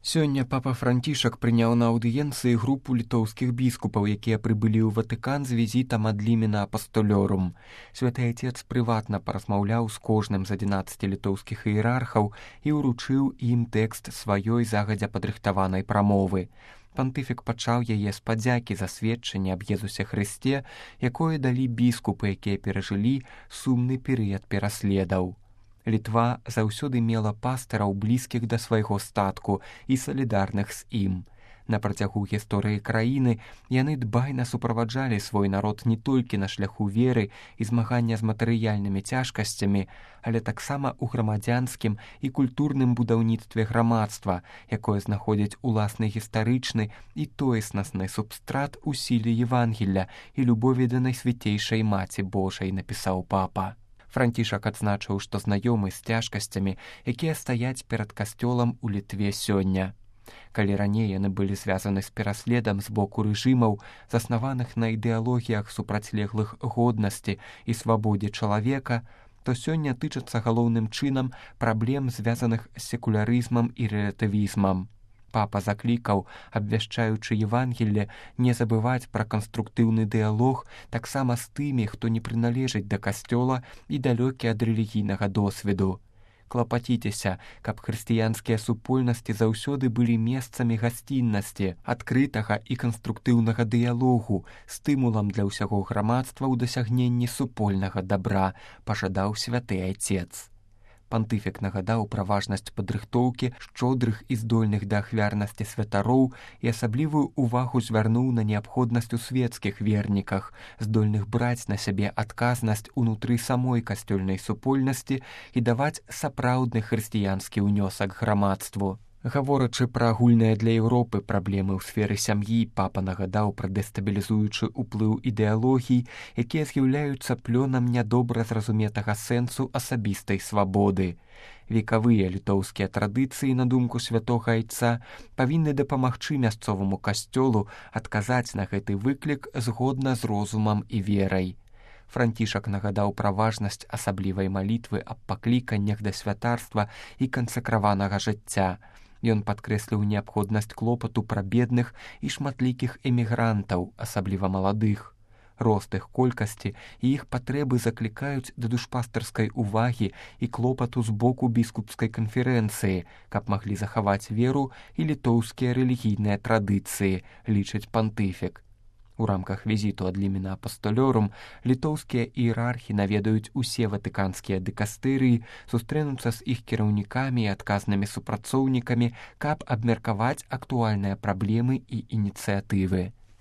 Сёння папа Францішак прыняў на аўдыенцыі групу літоўскіх біскупаў, якія прыбылі ў Ватыкан з візітам ад лімена апастолёрум. Святы Отец прыватна паразмаўляў з кожным з 11 літоўскіх іерархаў і ўручыў ім тэкст сваёй загадзя падрыхтаванай прамовы. Пантыфік пачаў яе з падзякі за сведчанне аб Езусе Хрысце, якое далі біскупы, якія перажылі сумны перыяд пераследаў. Літва заўсёды мела пастыраў, блізкіх да свайго статку і салідарных з ім. На працягу гісторыі краіны яны дбайна суправаджалі свой народ не толькі на шляху веры і змагання з матэрыяльнымі цяжкасцямі, але таксама ў грамадзянскім і культурным будаўніцтве грамадства, якое знаходзіць уласны гістарычны і тоеснасны субстрат у сіле Евангелля і любові да Найсвяцейшай Маці Божай, напісаў папа. Францішак адзначыў, што знаёмы з цяжкасцямі, якія стаяць перад касцёлам у Літве сёння. Калі раней яны былі звязаны з пераследам з боку рэжымаў, заснаваных на ідэалогіях супрацьлеглых годнасці і свабодзе чалавека, то сёння тычацца галоўным чынам праблем, звязаных з секулярызмам і рэлятывізмам. Папа заклікаў, абвяшчаючы Евангелле, не забываць пра канструктыўны дыялог таксама з тымі, хто не прыналежыць да касцёла і далёкі ад рэлігійнага досведу. Клапаціцеся, каб хрысціянскія супольнасці заўсёды былі месцамі гасціннасці, адкрытага і канструктыўнага дыялогу, стымулам для ўсяго грамадства ў дасягненні супольнага дабра, пажадаў святы Отец. Пантыфік нагадаў пра важнасць падрыхтоўкі шчодрых і здольных да ахвярнасці святароў і асаблівую ўвагу звярнуў на неабходнасць у светскіх верніках, здольных браць на сябе адказнасць унутры самой касцёльнай супольнасці і даваць сапраўдны хрысціянскі ўнёсак грамадству. Гаворачы пра агульныя для Еўропы праблемы ў сферы сям'і, папа нагадаў пра дэстабілізуючы ўплыў ідэалогій, якія з'яўляюцца плёнам нядобра зразуметага сэнсу асабістай свабоды. Векавыя літоўскія традыцыі, на думку святога Айца, павінны дапамагчы мясцоваму касцёлу адказаць на гэты выклік згодна з розумам і верай. Францішак нагадаў пра важнасць асаблівай малітвы аб пакліканнях да святарства і кансакраванага жыцця. Ён падкрэсліў неабходнасць клопату пра бедных і шматлікіх эмігрантаў, асабліва маладых. Рост іх колькасці і іх патрэбы заклікаюць да душпастарскай увагі і клопату з боку біскупскай канферэнцыі, каб маглі захаваць веру і літоўскія рэлігійныя традыцыі, лічыць пантыфік. У рамках візіту ад лімена апастолёрум літоўскія іерархі наведаюць усе ватыканскія дыкастэрыі, сустрэнуцца з іх кіраўнікамі і адказнымі супрацоўнікамі, каб абмеркаваць актуальныя праблемы і ініцыятывы.